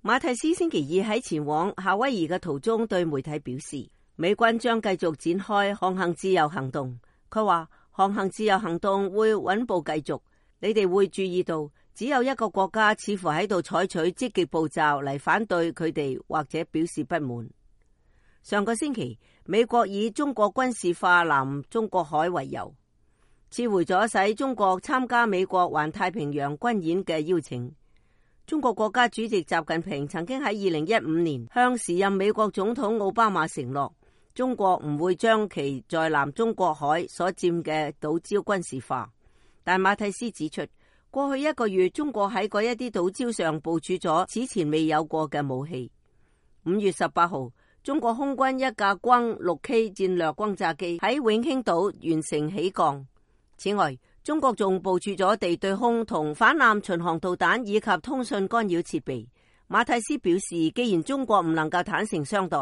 馬蒂斯星期二喺前往夏威夷嘅途中對媒體表示，美軍將繼續展開航行自由行動。佢話航行自由行動會穩步繼續，你哋會注意到只有一個國家似乎喺度採取積極步驟嚟反對佢哋或者表示不滿。上個星期，美國以中國軍事化南中國海為由，撤回咗使中國參加美國環太平洋軍演嘅邀請。中國國家主席習近平曾經喺2015年向時任美國總統奧巴馬承諾，中國唔會將其在南中國海所佔嘅島礁軍事化。但馬蒂斯指出，過去一個月，中國喺嗰一啲島礁上部署咗此前未有過嘅武器。5月18號，中國空軍一架轟 6K 戰略轟炸機喺永興島完成起降。此外，中國仲部署咗地對空同反艦巡航導彈以及通訊干擾設備。馬蒂斯表示，既然中國唔能夠坦誠相待，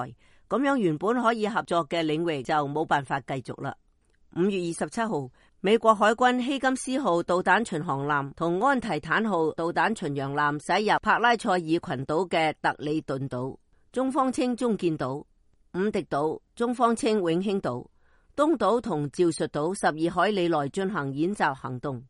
咁樣原本可以合作嘅領域就冇辦法繼續啦。5月27號，美國海軍希金斯號導彈巡航艦同安提坦號導彈巡洋艦駛入帕拉塞爾群島嘅特里頓島，中方稱中建島、五迪島，中方稱永興島、東島同趙述島12海里內進行演習行動。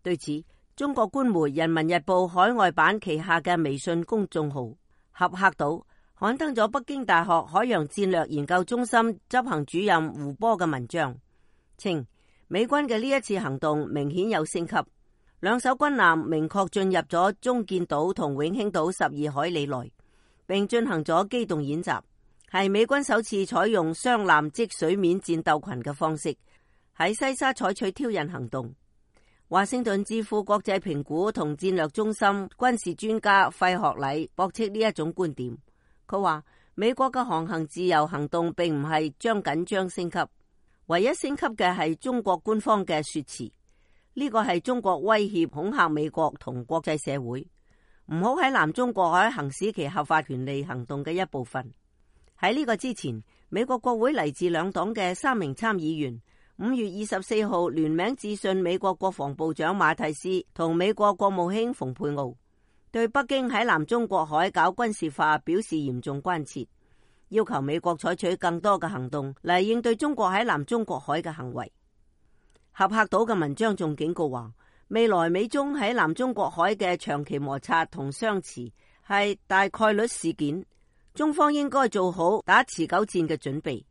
對此，中國官媒《人民日報》海外版旗下嘅微信公眾號合客島刊登咗北京大學海洋戰略研究中心執行主任胡波嘅文章，稱美軍嘅呢一次行動明顯有升級，兩艘軍艦明確進入咗中建島同永興島12海里內，並進行咗機動演習，係美軍首次採用雙艦即水面戰鬥群嘅方式喺西沙採取挑釁行動。華盛頓智庫國際評估同戰略中心軍事專家費學禮駁斥呢一種觀點。佢話美國嘅航行自由行動並唔係將緊張升級，唯一升級嘅係中國官方嘅說辭。呢個係中國威脅恐嚇美國同國際社會，唔好喺南中國海行使其合法權利行動嘅一部分。喺呢個之前，美國國會嚟自兩黨嘅3名參議員5月24號聯名致信美國國防部長馬蒂斯同美國國務卿蓬佩奧，對北京喺南中國海搞軍事化表示嚴重關切，要求美國採取更多嘅行動嚟應對中國喺南中國海嘅行為。合客島嘅文章仲警告話，未來美中喺南中國海嘅長期摩擦同相持係大概率事件，中方應該做好打持久戰嘅準備，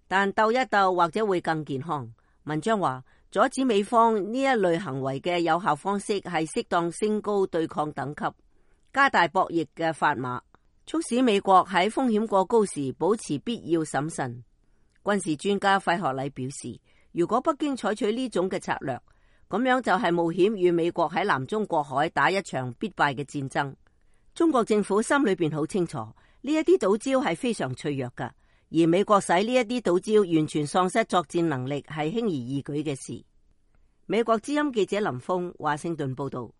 但鬥一鬥或者會更健康。文章話，阻止美方呢一類行為嘅有效方式係適當升高對抗等級，加大博弈嘅砝碼，促使美國喺風險過高時保持必要審慎。軍事專家費學禮表示，如果北京採取呢種嘅策略，咁樣就係冒險與美國喺南中國海打一場必敗嘅戰爭。中國政府心裏邊好清楚，呢一啲島礁係非常脆弱噶，而美國使呢一啲島礁完全喪失作戰能力係輕而易舉嘅事。美國之音記者林峰華盛頓報道。